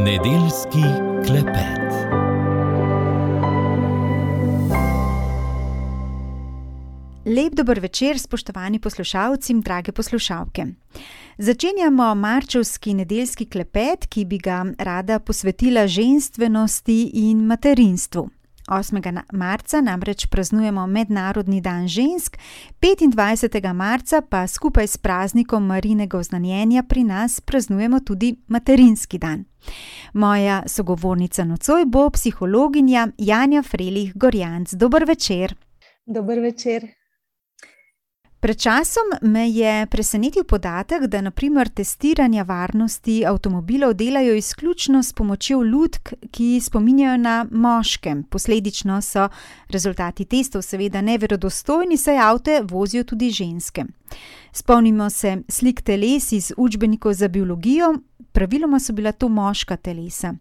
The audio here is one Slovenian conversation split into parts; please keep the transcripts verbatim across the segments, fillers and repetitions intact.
Nedeljski klepet. Lep dober večer, spoštovani poslušalci in drage poslušalke. Začenjamo marčevski nedeljski klepet, ki bi ga rada posvetila ženstvenosti in materinstvu. osmega marca namreč praznujemo Mednarodni dan žensk, petindvajsetega marca pa skupaj s praznikom Marijinega oznanjenja pri nas praznujemo tudi materinski dan. Moja sogovornica nocoj bo psihologinja Janja Frelih Gorjanc. Dober večer. Dober večer. Pred časom me je presenetil podatek, da na primer testiranja varnosti avtomobilov delajo izključno s pomočjo lutk, ki spominjajo na moške. Posledično so rezultati testov seveda neverodostojni, saj avte vozijo tudi ženske. Spomnimo se slik teles iz učbenikov za biologijo, praviloma so bila to moška telesa.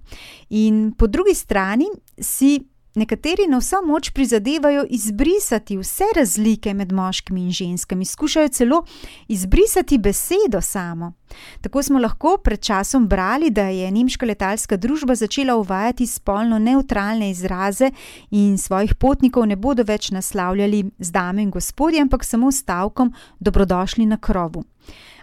In po drugi strani si nekateri na vso moč prizadevajo izbrisati vse razlike med moškimi in ženskami, skušajo celo izbrisati besedo samo. Tako smo lahko pred časom brali, da je nemška letalska družba začela uvajati spolno nevtralne izraze in svojih potnikov ne bodo več naslavljali z dame in gospodje, ampak samo s stavkom dobrodošli na krovu.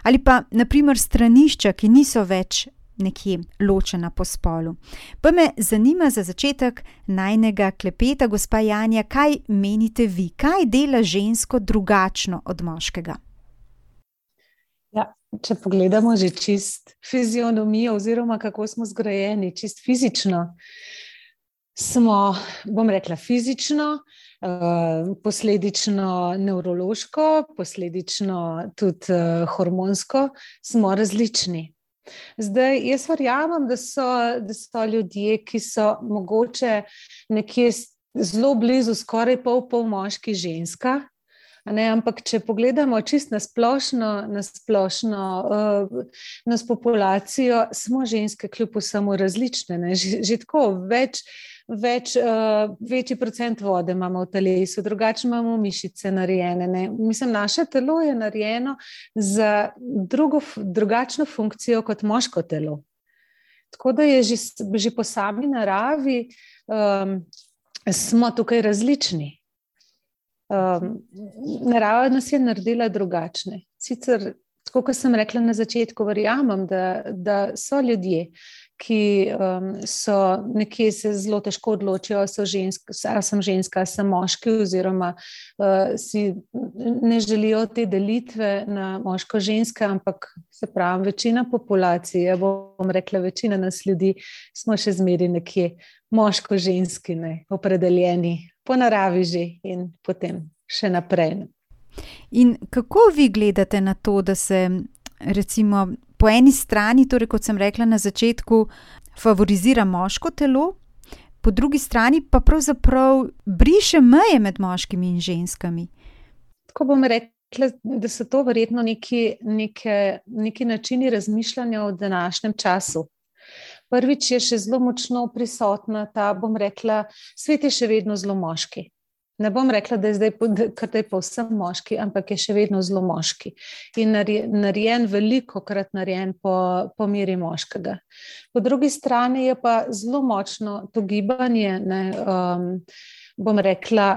Ali pa, na primer, stranišča, ki niso več nekje ločena po spolu. Pa me zanima za začetek najnega klepeta, gospa Janja, kaj menite vi? Kaj dela žensko drugačno od moškega? Ja, če pogledamo že čist fizionomijo oziroma kako smo zgrajeni, čist fizično, smo, bom rekla, fizično, posledično nevrološko, posledično tudi hormonsko, smo različni. Zdaj, jaz verjamem, da so, da so ljudje, ki so mogoče nekje zelo blizu, skoraj pol pol moški, ženska, ne, ampak če pogledamo čist na splošno, na splošno uh, nas populacijo, smo ženske kljub vsemu različne, ne, že, že tako več Več, uh, večji procent vode imamo v telesu, drugače imamo mišice narejene. Ne? Mislim, naše telo je narejeno za drugo, drugačno funkcijo kot moško telo. Tako da je že, že po sami naravi um, smo tukaj različni. Um, narava nas je naredila drugačne. Sicer, tako kot sem rekla na začetku, verjamem, da, da so ljudje, ki um, so nekje se zelo težko odločijo, ali so žensk, ali sem ženska, ali sem moški, oziroma uh, si ne želijo te delitve na moško-ženske, ampak se pravi, večina populacije, bom rekla, večina nas ljudi, smo še zmeri nekje moško-ženski, ne, opredeljeni po naravi že in potem še naprej. In kako vi gledate na to, da se recimo po eni strani, torej kot sem rekla na začetku, favorizira moško telo, po drugi strani pa pravzaprav briše meje med moškimi in ženskami? Tako bom rekla, da so to verjetno neki, neke, neki načini razmišljanja v današnjem času. Prvič je še zelo močno prisotna ta, bom rekla, svet je še vedno zelo moški. Ne bom rekla, da je zdaj kar da je povsem moški, ampak je še vedno zelo moški. In narejen, veliko krat narejen po, po meri moškega. Po drugi strani je pa zelo močno to gibanje, ne, um, bom rekla,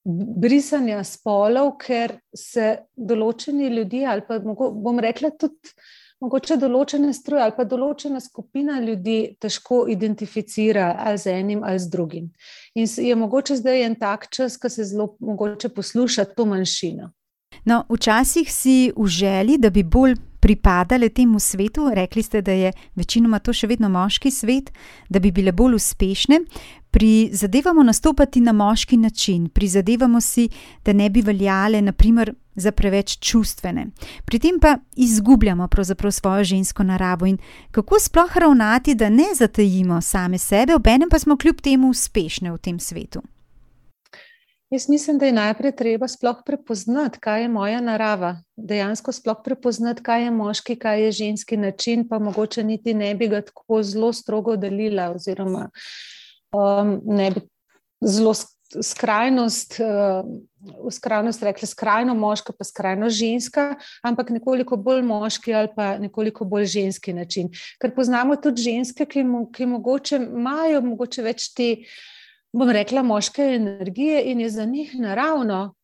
brisanja spolov, ker se določeni ljudje, ali pa bom rekla tudi mogoče določene stroje ali pa določena skupina ljudi težko identificira ali z enim ali z drugim. In je mogoče zdaj en tak čas, ko se zelo mogoče posluša to manjšino. No, včasih si v želji, da bi bolj pripadale temu svetu, rekli ste, da je večinoma to še vedno moški svet, da bi bile bolj uspešne, prizadevamo nastopati na moški način, prizadevamo si, da ne bi veljale, na primer, za preveč čustvene. Pri tem pa izgubljamo pravzaprav svojo žensko naravo in kako sploh ravnati, da ne zatajimo same sebe, obenem pa smo kljub temu uspešne v tem svetu. Jaz mislim, da je najprej treba sploh prepoznati, kaj je moja narava. Dejansko sploh prepoznati, kaj je moški, kaj je ženski način, pa mogoče niti ne bi ga tako zelo strogo delila oziroma um, ne bi zelo skrajnost, v skrajnost rekla skrajno moška, pa skrajno ženska, ampak nekoliko bolj moški ali pa nekoliko bolj ženski način. Ker poznamo tudi ženske, ki, mo, ki mogoče imajo mogoče več te, bom rekla, moške energije in je za njih naravno,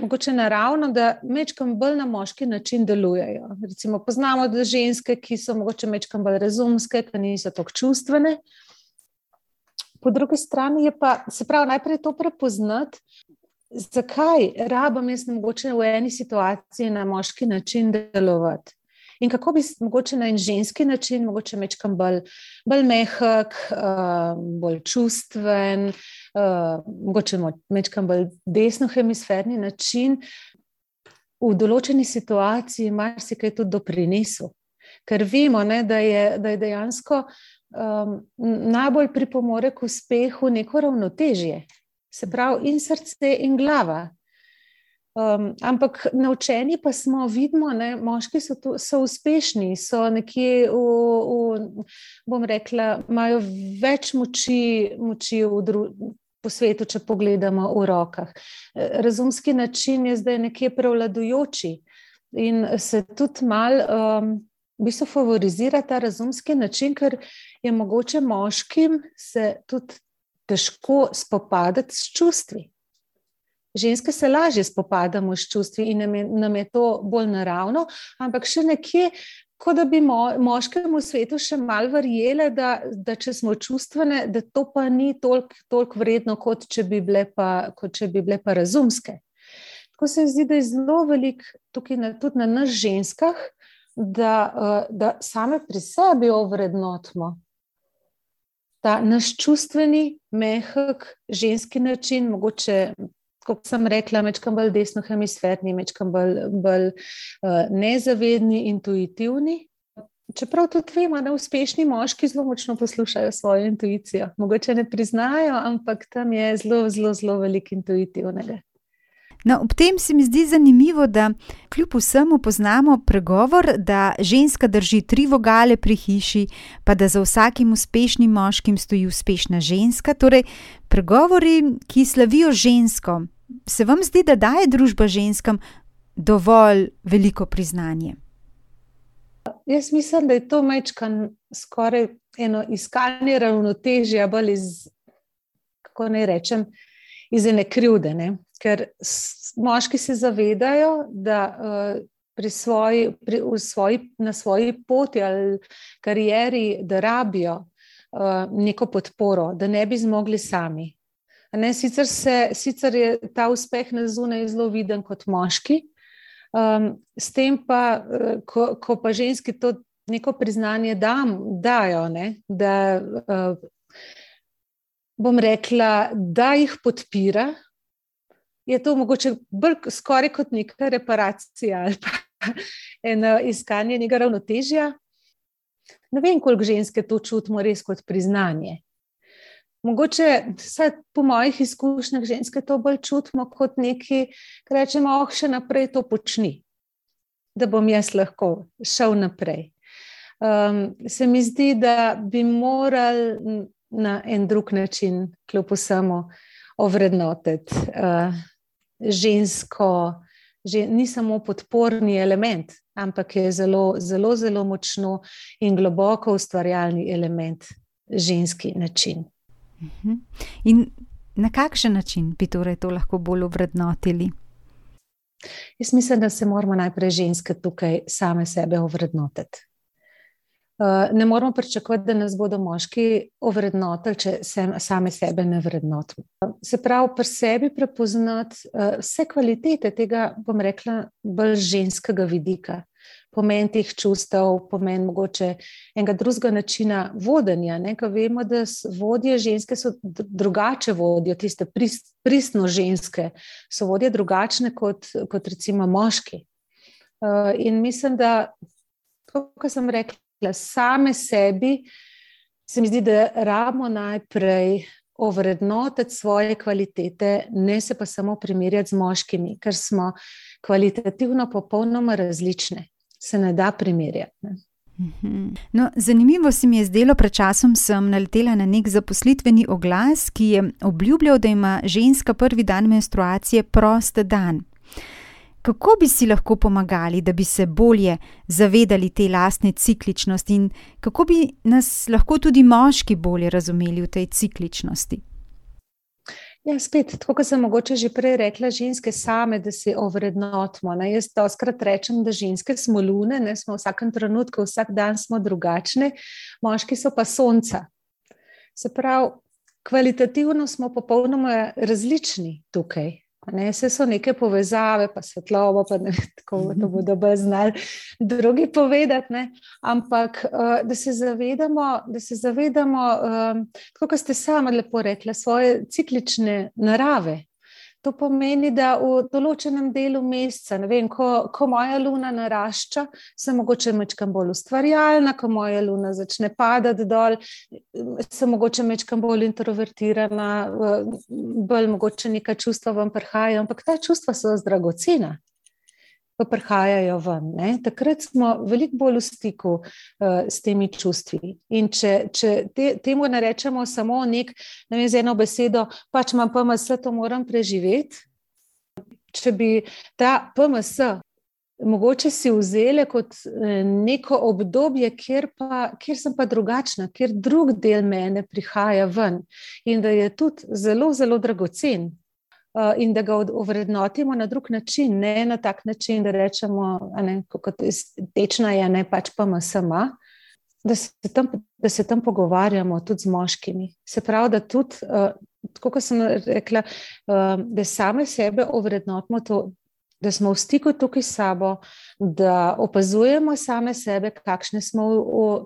mogoče naravno, da mečkam bolj na moški način delujejo. Recimo poznamo da ženske, ki so mogoče mečkam bolj razumske, ki niso toliko čustvene. Po drugi strani je pa, se pravi, najprej to prepoznati, zakaj rabam jaz mogoče v eni situaciji na moški način delovati. In kako bi mogoče na en ženski način, mogoče mečkam bolj, bolj mehak, uh, bolj čustven, uh, mogoče mečkam bolj desnohemisferni način v določeni situaciji marsikaj tudi doprinesel. Ker vemo, ne, da, je, da je dejansko Um, najbolj pripomore k uspehu neko ravnotežje, se pravi in srce in glava. Um, ampak naučeni pa smo, vidimo, ne, moški so, tu, so uspešni, so nekje, v, v, bom rekla, imajo več moči, moči v dru, po svetu, če pogledamo v rokah. Razumski način je zdaj nekje prevladujoči in se tudi mal um, v bistvu favorizira ta razumski način, ker je mogoče moškim se tudi težko spopadati s čustvi. Ženske se lažje spopadamo s čustvi in nam je, nam je to bolj naravno, ampak še nekje, kot da bi mo, moškemu svetu še malo verjele, da, da če smo čustvene, da to pa ni toliko, toliko vredno, kot če bi bile pa, kot če bi bile pa razumske. Tako se zdi, da je zelo veliko tukaj na, tudi na nas ženskah, Da, da same pri sebi ovrednotimo ta naš čustveni, mehak, ženski način, mogoče, kot sem rekla, mečkam bolj desnohemisferni, mečkam bolj, bolj uh, nezavedni, intuitivni. Čeprav tudi vemo, da uspešni moški zelo močno poslušajo svojo intuicijo. Mogoče ne priznajo, ampak tam je zelo, zelo, zelo veliko intuitivnega. No, ob tem se mi zdi zanimivo, da kljub vsemu poznamo pregovor, da ženska drži tri vogale pri hiši, pa da za vsakim uspešnim moškim stoji uspešna ženska. Torej, pregovori, ki slavijo žensko, se vam zdi, da daje družba ženskam dovolj veliko priznanje? Jaz mislim, da je to mečkan skoraj eno iskanje ravnotežja, bolj iz, kako naj rečem, iz ene krivde, ne? Ker moški se zavedajo, da uh, pri svoji, pri, v svoji, na svoji poti ali karieri, da rabijo uh, neko podporo, da ne bi zmogli sami. Ne, sicer, se, sicer je ta uspeh na zunaj zelo viden kot moški, um, s tem pa, uh, ko, ko pa ženski to neko priznanje dam, dajo, ne, da uh, bom rekla, da jih podpira, je to mogoče bolj skoraj kot neka reparacija ali pa eno iskanje nekega ravnotežja. Ne vem, koliko ženske to čutimo res kot priznanje. Mogoče, vsaj po mojih izkušnjah, ženske to bolj čutimo kot neki, ki rečemo, oh, še naprej to počni, da bom jaz lahko šel naprej. Um, se mi zdi, da bi morali na en drug način, kljub vsemu, ovrednotiti uh, žensko, že, ni samo podporni element, ampak je zelo, zelo, zelo močno in globoko ustvarjalni element ženski način. In na kakšen način bi torej to lahko bolj ovrednotili? Jaz mislim, da se moramo najprej ženske tukaj same sebe ovrednotiti. Ne moramo pričakovati, da nas bodo moški ovrednotili, če se, same sebe ne vrednotimo. Se pravi, pri sebi prepoznati vse kvalitete tega, bom rekla, bolj ženskega vidika. Pomen teh čustev, pomen mogoče enega drugega načina vodenja. Ne? Ko vemo, da vodje ženske so drugače vodijo, tiste prist, pristno ženske, so vodje drugačne kot, kot recimo moški. In mislim, da, kot sem rekla, same sebi, se mi zdi, da rabimo najprej ovrednotiti svoje kvalitete, ne se pa samo primerjati z moškimi, ker smo kvalitativno popolnoma različne. Se ne da primerjati. Ne? No, zanimivo se mi je zdelo, pred časom sem naletela na nek zaposlitveni oglas, ki je obljubljal, da ima ženska prvi dan menstruacije prost dan. Kako bi si lahko pomagali, da bi se bolje zavedali te lastne cikličnosti in kako bi nas lahko tudi moški bolje razumeli v tej cikličnosti? Ja, spet, tako kot sem mogoče že prej rekla, ženske same, da se ovrednotimo. Ne? Jaz doskrat rečem, da ženske smo lune, ne? Smo v vsakem trenutku, vsak dan smo drugačne, moški so pa sonca. Se pravi, kvalitativno smo popolnoma različni tukaj. Ne, vse so neke povezave, pa svetlobo, pa ne vem, tako to bodo bolj znali drugi povedati, ne, ampak da se zavedamo, da se zavedamo, tako kot ste sama lepo rekla, svoje ciklične narave. To pomeni, da v določenem delu meseca, ne vem, ko, ko moja luna narašča, sem mogoče mečkam bolj ustvarjalna, ko moja luna začne padati dol, sem mogoče mečkam bolj introvertirana, bolj mogoče neka čustva vam prihajajo, ampak ta čustva so dragocena, ko prihajajo ven. Ne? Takrat smo veliko bolj v stiku uh, s temi čustvi. In če, če te, temu narečemo samo nek, ne vem, z eno besedo, pač imam P M S, to moram preživeti. Če bi ta P M S mogoče si vzele kot neko obdobje, kjer, pa, kjer sem pa drugačna, kjer drug del mene prihaja ven in da je tudi zelo, zelo dragocen. In da ga ovrednotimo na drug način, ne na tak način, da rečemo, ne, kot tečna je, ne pač pa ima sama, da se tam, da se tam pogovarjamo tudi z moškimi. Se pravi, da tudi, tako kot sem rekla, da same sebe ovrednotimo to, da smo v stiku tukaj s sabo, da opazujemo same sebe, kakšne smo,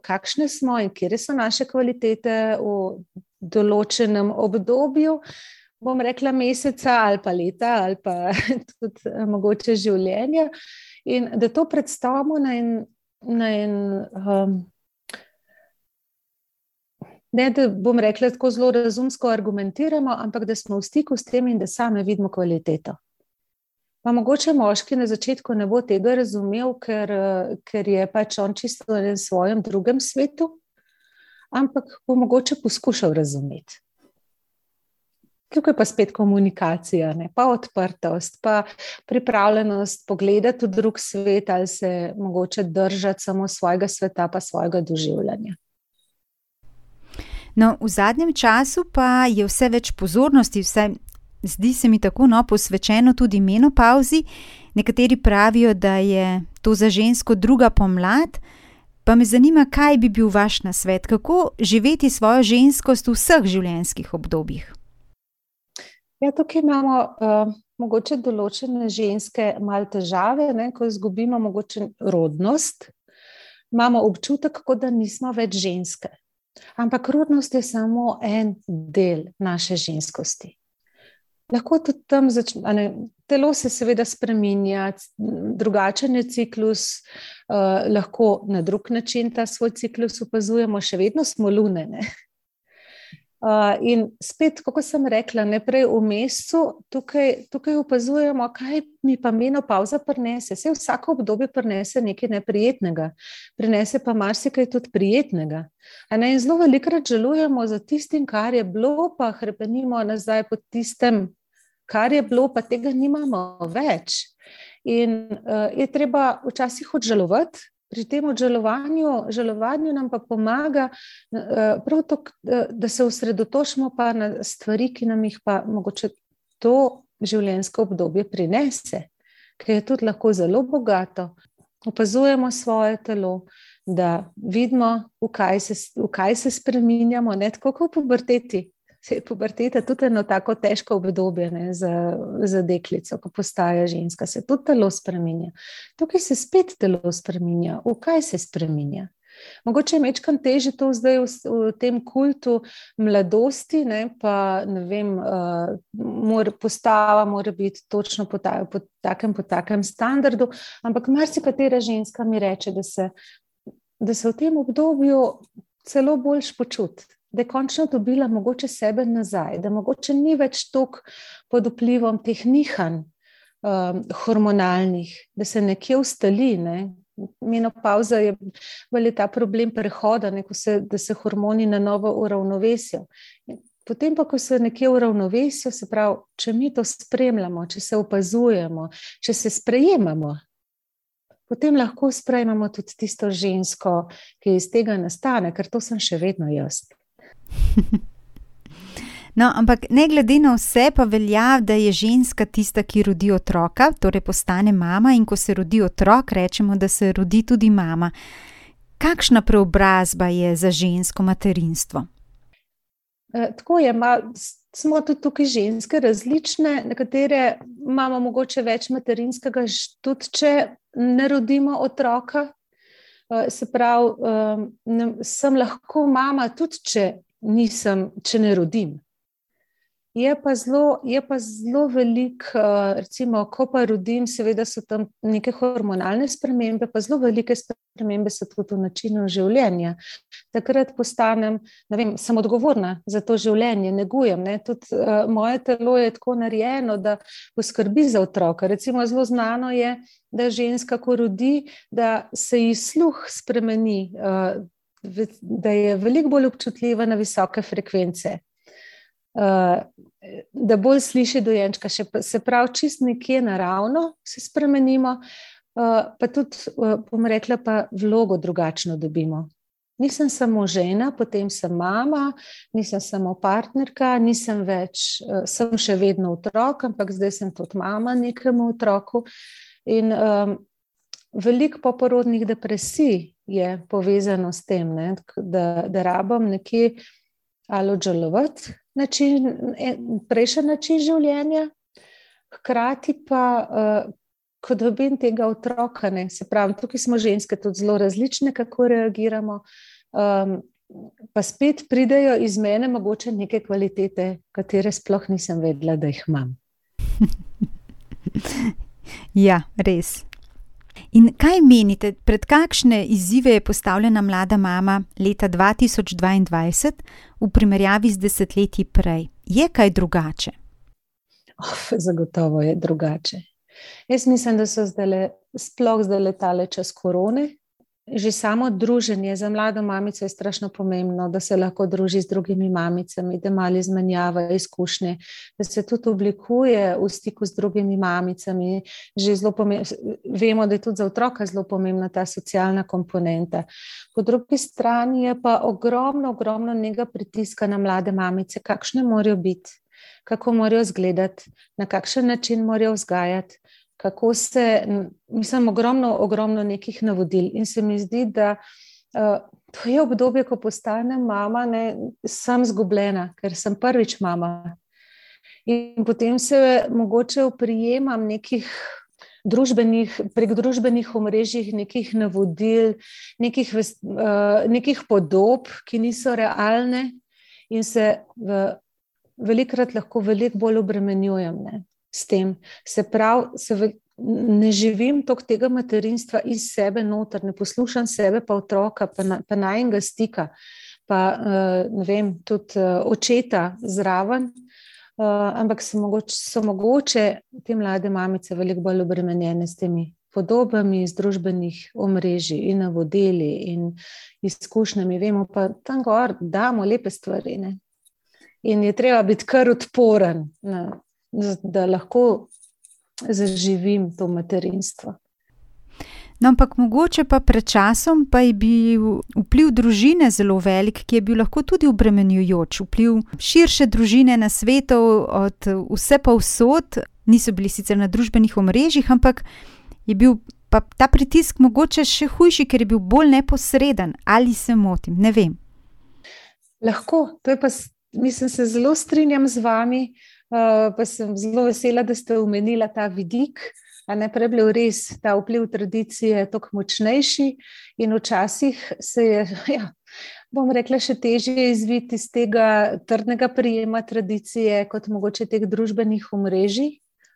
kakšne smo in kje so naše kvalitete v določenem obdobju, bom rekla meseca ali pa leta ali pa tudi mogoče življenja in da to predstavimo na en, na en um, ne, da bom rekla tako zelo razumsko argumentiramo, ampak da smo v stiku s tem in da same vidimo kvaliteto. Pa mogoče moški na začetku ne bo tega razumel, ker, ker je pač on čisto v svojem drugem svetu, ampak bo mogoče poskušal razumeti. Tukaj pa spet komunikacija, ne? Pa odprtost, pa pripravljenost pogledati v drug svet ali se mogoče držati samo svojega sveta pa svojega doživljanja. No, v zadnjem času pa je vse več pozornosti, vse zdi se mi tako, no, posvečeno tudi menopavzi. Nekateri pravijo, da je to za žensko druga pomlad, pa me zanima, kaj bi bil vaš nasvet, kako živeti svojo ženskost v vseh življenjskih obdobjih. Ja, tukaj imamo uh, mogoče določene ženske malo težave, ne, ko izgubimo mogoče rodnost, imamo občutek, kot da nismo več ženske. Ampak rodnost je samo en del naše ženskosti. Lahko tudi tam začne, telo se seveda spreminja, drugačen je ciklus, uh, lahko na drug način ta svoj ciklus opazujemo, še vedno smo lune, ne. Uh, in spet, kako sem rekla, neprej v mesecu, tukaj, tukaj opazujemo, kaj mi pa menopavza prinese. Saj vsako obdobje prinese nekaj neprijetnega, prinese pa marsikaj tudi prijetnega. A ne, in zelo velikokrat žalujemo za tistim, kar je bilo, pa hrepenimo nazaj pod tistem, kar je bilo, pa tega nimamo več. In uh, je treba včasih odžalovati. Pri tem odžalovanju, žalovanju nam pa pomaga prav to, da se osredotočimo pa na stvari, ki nam jih pa mogoče to življenjsko obdobje prinese, ker je tudi lahko zelo bogato. Opazujemo svoje telo, da vidimo, v kaj se, v kaj se spreminjamo, ne tako kot v puberteti. Puberteta tudi eno tako težko obdobje, ne, za, za deklico, ko postaja ženska, se tudi telo spreminja. Tukaj se spet telo spreminja. V kaj se spreminja? Mogoče je mečkam težje to zdaj v, v tem kultu mladosti, ne, pa ne vem, uh, mora, postava mora biti točno po, ta, po, takem, po takem standardu, ampak marsikatera ženska mi reče, da se, da se v tem obdobju celo boljš počuti. Da je končno dobila mogoče sebe nazaj, da mogoče ni več toliko pod vplivom teh nihanj um, hormonalnih, da se nekje ustali, ne? Menopavza je bolj ta problem prehoda, ne, ko se, da se hormoni na novo uravnovesijo. Potem pa, ko se nekje uravnovesijo, se pravi, če mi to spremljamo, če se opazujemo, če se sprejemamo, potem lahko sprejmemo tudi tisto žensko, ki iz tega nastane, ker to sem še vedno jaz. No, ampak ne glede na vse pa velja, da je ženska tista, ki rodi otroka, torej postane mama, in ko se rodi otrok, rečemo, da se rodi tudi mama. Kakšna preobrazba je za žensko materinstvo? E, tako je, ma, smo tudi tukaj ženske različne, nekatere imamo mogoče več materinskega, tudi če ne rodimo otroka. E, se pravi, e, ne, sem lahko mama tudi, če, nisem, če ne rodim. Je pa zelo, je pa zelo velik, recimo, ko pa rodim, seveda so tam neke hormonalne spremembe, pa zelo velike spremembe so tudi v načinu življenja. Takrat postanem, ne vem, sem odgovorna za to življenje, negujem, ne, tudi uh, moje telo je tako narejeno, da poskrbi za otroka. Recimo, zelo znano je, da ženska, ko rodi, da se ji sluh spremeni, uh, da je veliko bolj občutljiva na visoke frekvence. Uh, da bolj sliši dojenčka, še, se pravi, čist nekje naravno se spremenimo, uh, pa tudi, uh, bom rekla, pa vlogo drugačno dobimo. Nisem samo žena, potem sem mama, nisem samo partnerka, nisem več, uh, sem še vedno otrok, ampak zdaj sem tudi mama nekemu otroku. In um, veliko poporodnih depresij je povezano s tem, ne, da, da rabim nekje ali odžalovati način, prejšnji način življenja, hkrati pa, uh, ko dobim tega otroka, ne, se pravi, tukaj smo ženske tudi zelo različne, kako reagiramo, um, pa spet pridejo iz mene mogoče neke kvalitete, katere sploh nisem vedela, da jih imam. Ja, res. In kaj menite, pred kakšne izzive je postavljena mlada mama leta dva tisoč dvaindvajset v primerjavi z desetletji prej? Je kaj drugače? Oh, zagotovo je drugače. Jaz mislim, da so zdajle, sploh zdaj letale čas korone. Že samo druženje za mlado mamico je strašno pomembno, da se lahko druži z drugimi mamicami, da malo izmenjava izkušnje, da se tudi oblikuje v stiku z drugimi mamicami. Že zelo pomembno, vemo, da je tudi za otroka zelo pomembna ta socialna komponenta. Po drugi strani je pa ogromno, ogromno nekega pritiska na mlade mamice, kakšne morajo biti, kako morajo izgledati, na kakšen način morajo vzgajati. Kako se, mislim, ogromno, ogromno nekih navodil in se mi zdi, da uh, to je obdobje, ko postanem mama, ne, sem zgubljena, ker sem prvič mama. In potem se mogoče oprijemam nekih družbenih, prek družbenih omrežjih, nekih navodil, nekih, uh, nekih podob, ki niso realne in se v, velikrat lahko veliko bolj obremenjujem, ne. S tem. Se pravi, se v, ne živim toliko tega materinstva iz sebe noter, ne poslušam sebe pa otroka, pa, na, pa najnega stika, pa uh, ne vem, tudi uh, očeta zraven, uh, ampak so mogoče, so mogoče te mlade mamice veliko bolj obremenjene s temi podobami iz družbenih omrežij in navodili in izkušnjami. Vemo pa tam gor damo lepe stvari, ne? In je treba biti kar odporen, ne? Da lahko zaživim to materinstvo. No, ampak mogoče pa pred časom pa je bil vpliv družine zelo velik, ki je bil lahko tudi obremenjujoč. Vpliv širše družine na svetu od vse povsod, niso bili sicer na družbenih omrežjih, ampak je bil pa ta pritisk mogoče še hujši, ker je bil bolj neposreden. Ali se motim? Ne vem. Lahko, to je pa, mislim, se zelo strinjam z vami. Uh, pa sem zelo vesela, da ste omenila ta vidik, a ne prej bil res ta vpliv tradicije toliko močnejši in včasih se je, ja, bom rekla, še težje izviti iz tega trdnega prijema tradicije kot mogoče teh družbenih omrežij,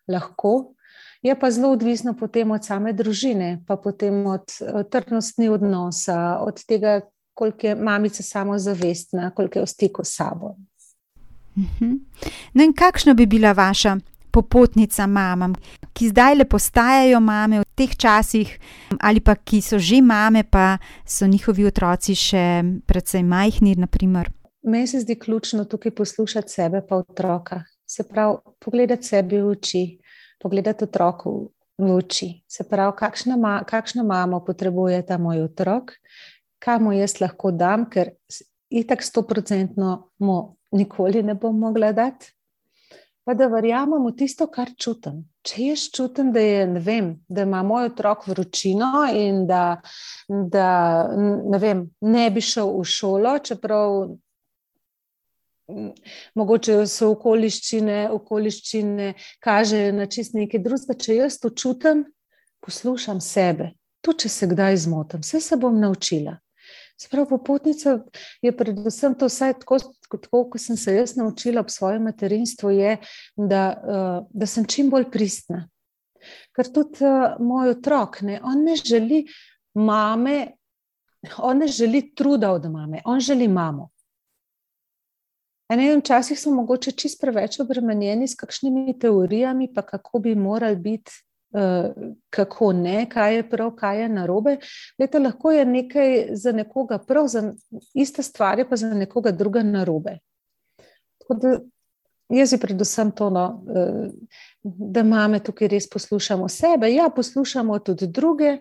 lahko. Je pa zelo odvisno potem od same družine, pa potem od trdnosti odnosa, od tega, koliko je mamica samozavestna, koliko je v stiku s sabo. No in kakšna bi bila vaša popotnica mamam, ki zdaj le postajajo mame v teh časih ali pa ki so že mame, pa so njihovi otroci še precej majhni, na primer? Meni se zdi ključno tukaj poslušati sebe pa otroka. Se pravi, pogledati sebi v oči, pogledati otroku v oči. Se pravi, kakšna, ma, kakšno mamo potrebuje ta moj otrok, kaj mu jaz lahko dam, ker itak stoprocentno mu nikoli ne bom mogla dati. Pa da verjamem v tisto, kar čutim. Če jaz čutim, da je, ne vem, da ima moj otrok vročino in da, da ne vem, ne bi šel v šolo, čeprav mogoče so okoliščine, okoliščine kažejo na čist nekaj drugega. Če jaz to čutim, poslušam sebe. Tu, če se kdaj zmotim, vse se bom naučila. Se pravi, popotnica je predvsem to, vsaj tako, tako, ko sem se jaz naučila ob svojem materinstvu, je, da, da sem čim bolj pristna. Ker tudi moj otrok, ne, on ne želi mame, on ne želi truda od mame, on želi mamo. A ne vem, včasih smo mogoče čist preveč obremenjeni s kakšnimi teorijami, pa kako bi morali biti, kako ne, kaj je prav, kaj je narobe. Leta, lahko je nekaj za nekoga prav, za ista stvar je pa za nekoga druga narobe. Tako da jaz je predvsem to, no, da mame tukaj res poslušamo sebe. Ja, poslušamo tudi druge,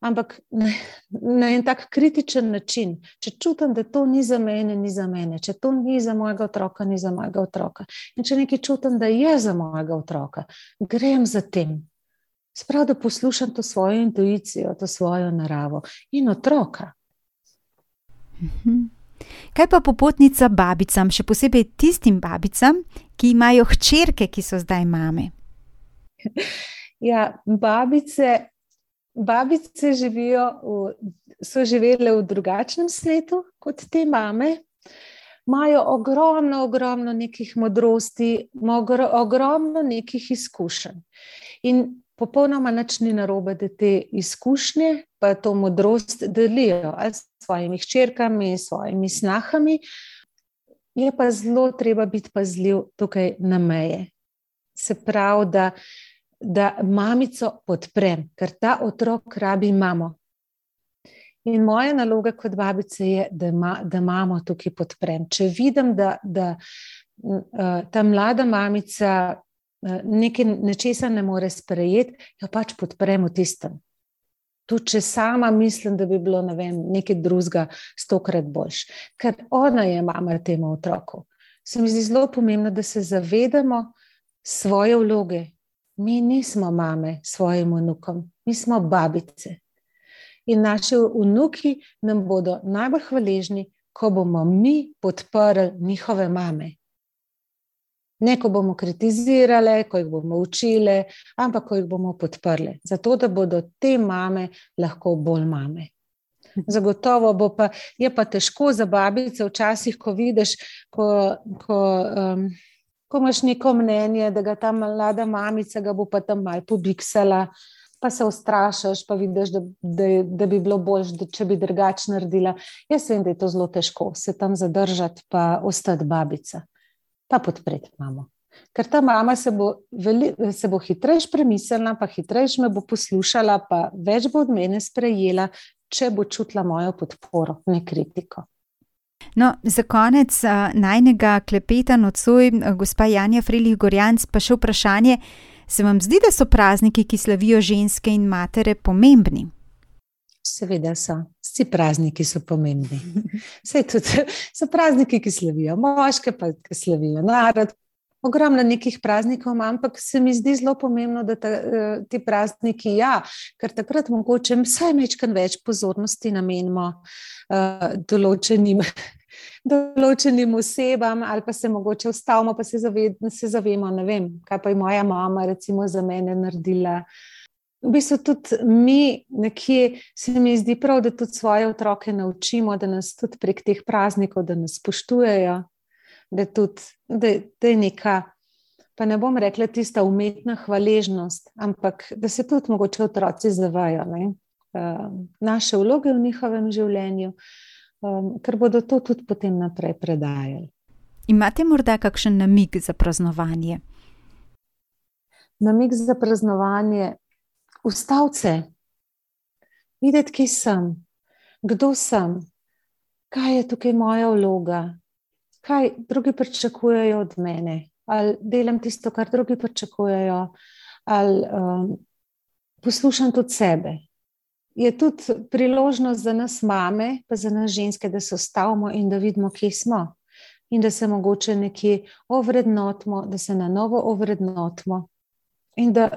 ampak na, na en tak kritičen način. Če čutim, da to ni za mene, ni za mene. Če to ni za mojega otroka, ni za mojega otroka. In če nekaj čutim, da je za mojega otroka, grem za tem. Sprav, da poslušam to svojo intuicijo, to svojo naravo in otroka. Kaj pa popotnica babicam, še posebej tistim babicam, ki imajo hčerke, ki so zdaj mame? Ja, babice, babice živijo v, so živele v drugačnem svetu kot te mame. Imajo ogromno, ogromno nekih modrosti, ogromno nekih izkušenj. In popolnoma nič ni narobe, da te izkušnje pa to modrost delijo ali s svojimi hčerkami, s svojimi snahami. Je pa zelo treba biti pazljiv tukaj na meje. Se pravi, da, da mamico podprem, ker ta otrok rabi mamo. In moja naloga kot babice je, da, ma, da mamo tukaj podprem. Če vidim, da, da ta mlada mamica nekaj nečesa ne more sprejeti, jo pač podprem v tistem. Tudi če sama mislim, da bi bilo, ne vem, nekaj drugega stokrat boljš. Ker ona je mama temu otroku. Se mi zdi zelo pomembno, da se zavedamo svoje vloge. Mi nismo mame svojim vnukom, mi smo babice. In naši vnuki nam bodo najbolj hvaležni, ko bomo mi podprli njihove mame. Ne, ko bomo kritizirale, ko jih bomo učile, ampak ko jih bomo podprle. Zato, da bodo te mame lahko bolj mame. Zagotovo bo pa, je pa težko za babice včasih, ko vidiš, ko, ko, um, ko imaš neko mnenje, da ga ta mlada mamica ga bo pa tam malo pobiksala, pa se ustrašaš, pa vidiš, da, da, da bi bilo bolj, če bi drugače naredila. Jaz vem, da je to zelo težko, se tam zadržati pa ostati babica. Pa podpreti mamo. Ker ta mama se bo, veli, se bo hitrejš premislila, pa hitrejš me bo poslušala, pa več bo od mene sprejela, če bo čutila mojo podporo, ne kritiko. No, za konec uh, najnega klepeta nocoj, uh, gospa Janja Frelih Gorjanc, pa še vprašanje, se vam zdi, da so prazniki, ki slavijo ženske in matere, pomembni? Seveda so. Vsi prazniki so pomembni. Saj tudi so prazniki, ki slavijo moške, pa ki slavijo narod. Ogromno nekih praznikov imam, ampak se mi zdi zelo pomembno, da ta, ti prazniki, ja, ker takrat mogoče vsaj majčkeno več pozornosti namenimo uh, določenim, določenim osebam, ali pa se mogoče ustavimo, pa se, zaved, se zavemo, ne vem, kaj pa je moja mama recimo za mene naredila. V bistvu tudi mi nekje se mi zdi prav, da tudi svoje otroke naučimo, da nas tudi prek teh praznikov, da nas spoštujejo, da, tudi, da, da je neka, pa ne bom rekla tista umetna hvaležnost, ampak da se tudi mogoče otroci zavajo, ne? Naše vloge v njihovem življenju, ker bodo to tudi potem naprej predajali. Imate morda kakšen namig za praznovanje? namig za praznovanje, ustavce, videti, kje sem, kdo sem, kaj je tukaj moja vloga, kaj drugi pričakujejo od mene, ali delam tisto, kar drugi pričakujejo, ali um, poslušam tudi sebe. Je tudi priložnost za nas mame, pa za nas ženske, da se ustavimo in da vidimo, kje smo. In da se mogoče nekje ovrednotimo, da se na novo ovrednotimo. In da,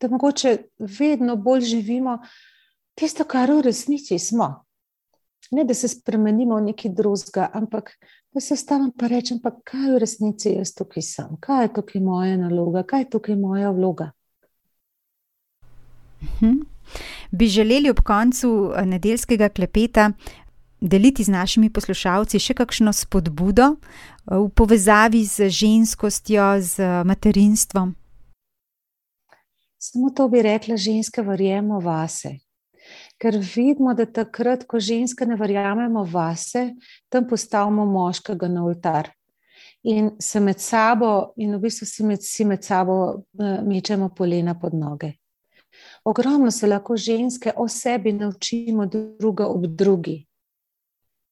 da mogoče vedno bolj živimo tisto, kar v resnici smo. Ne, da se spremenimo v nekaj drugega, ampak da se ustavim pa rečem, pa kaj v resnici jaz tukaj sem, kaj je tukaj moja naloga, kaj je tukaj moja vloga. Mhm. Bi želeli ob koncu nedeljskega klepeta deliti z našimi poslušalci še kakšno spodbudo v povezavi z ženskostjo, z materinstvom? Samo to bi rekla, ženske verjemo vase. Ker vidimo, da takrat, ko ženske ne verjamemo vase, tam postavimo moškega na oltar. In se med sabo, in v bistvu si med, si med sabo mečemo polena pod noge. Ogromno se lahko ženske o sebi naučimo druga ob drugi.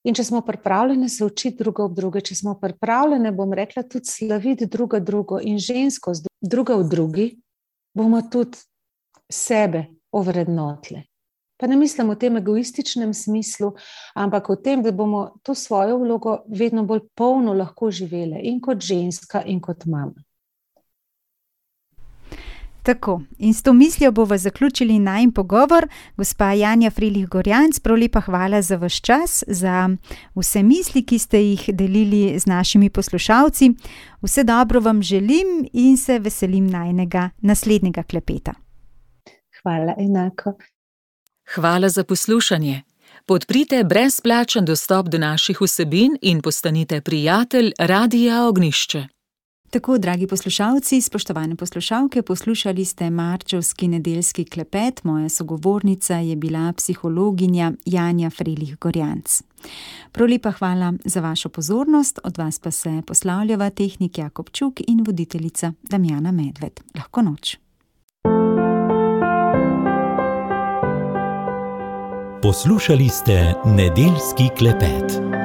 In če smo pripravljene se učiti druga ob druge, če smo pripravljene, bom rekla, tudi slaviti druga drugo in ženskost druga v drugi, bomo tudi sebe ovrednotile. Pa ne mislim v tem egoističnem smislu, ampak v tem, da bomo to svojo vlogo vedno bolj polno lahko živele in kot ženska in kot mama. Tako, in s to mislijo bova zaključili najin pogovor. Gospa Janja Frelih Gorjanc, prav lepa hvala za vaš čas, za vse misli, ki ste jih delili z našimi poslušalci. Vse dobro vam želim in se veselim najinega naslednjega klepeta. Hvala, enako. Hvala za poslušanje. Podprite brezplačen dostop do naših vsebin in postanite prijatelj Radia Ognjišče. Tako, dragi poslušalci, spoštovane poslušalke, poslušali ste marčevski nedeljski klepet. Moja sogovornica je bila psihologinja Janja Frelih Gorjanc. Prav lepa hvala za vašo pozornost, od vas pa se poslavljava tehnik Jakob Čuk in voditeljica Damjana Medved. Lahko noč. Poslušali ste nedeljski klepet.